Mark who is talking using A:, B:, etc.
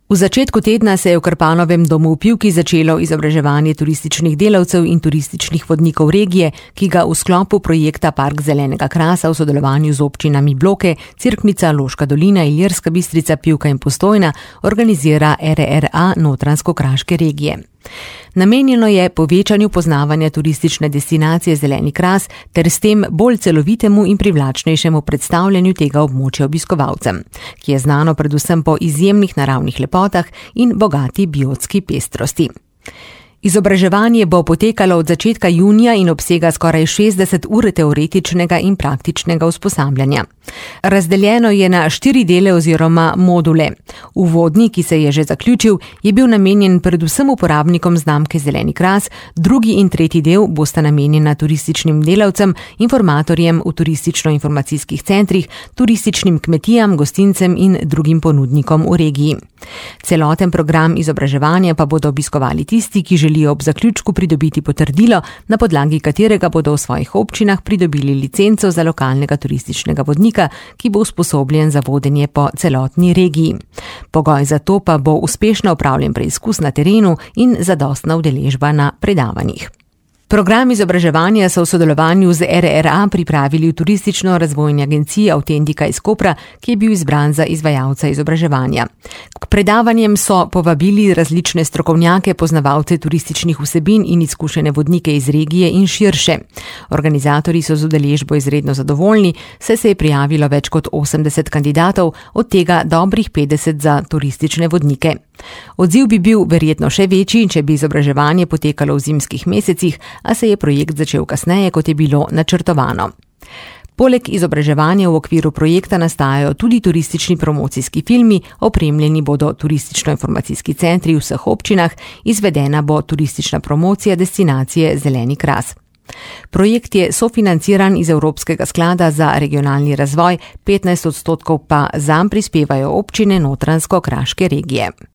A: V začetku tedna se je v Krpanovem domu v Pivki začelo izobraževanje turističnih delavcev in turističnih vodnikov regije, ki ga v sklopu projekta Park zelenega krasa v sodelovanju z občinami Bloke, Cerknica, Loška dolina, Ilirska Bistrica, Pivka in Postojna organizira RRA Notranjsko-kraške regije. Namenjeno je povečanju poznavanja turistične destinacije Zeleni kras ter s tem bolj celovitemu in privlačnejšemu predstavljanju tega območja obiskovalcem, ki je znano predvsem po izjemnih naravnih lepotah in bogati biotski pestrosti. Izobraževanje bo potekalo od začetka junija in obsega skoraj 60 ur teoretičnega in praktičnega usposabljanja. Razdeljeno je na 4 dele oziroma module. Uvodni, ki se je že zaključil, je bil namenjen predvsem uporabnikom znamke Zeleni kras, drugi in tretji del bosta namenjena turističnim delavcem, informatorjem v turistično-informacijskih centrih, turističnim kmetijam, gostincem in drugim ponudnikom v regiji. Celoten program izobraževanja pa bodo obiskovali tisti, ki želijo ob zaključku pridobiti potrdilo, na podlagi katerega bodo v svojih občinah pridobili licenco za lokalnega turističnega vodnika, ki bo usposobljen za vodenje po celotni regiji. Pogoj za to pa bo uspešno opravljen preizkus na terenu in zadostna udeležba na predavanjih. Program izobraževanja so v sodelovanju z RRA pripravili v Turistično-razvojni agenciji Autentika iz Kopra, ki je bil izbran za izvajalca izobraževanja. K predavanjem so povabili različne strokovnjake, poznavalce turističnih vsebin in izkušene vodnike iz regije in širše. Organizatorji so z udeležbo izredno zadovoljni, saj se je prijavilo več kot 80 kandidatov, od tega dobrih 50 za turistične vodnike. Odziv bi bil verjetno še večji, če bi izobraževanje potekalo v zimskih mesecih, a se je projekt začel kasneje, kot je bilo načrtovano. Poleg izobraževanja v okviru projekta nastajajo tudi turistični promocijski filmi, opremljeni bodo turistično-informacijski centri v vseh občinah, izvedena bo turistična promocija destinacije Zeleni kras. Projekt je sofinanciran iz Evropskega sklada za regionalni razvoj, 15% pa zanj prispevajo občine Notranjsko-kraške regije.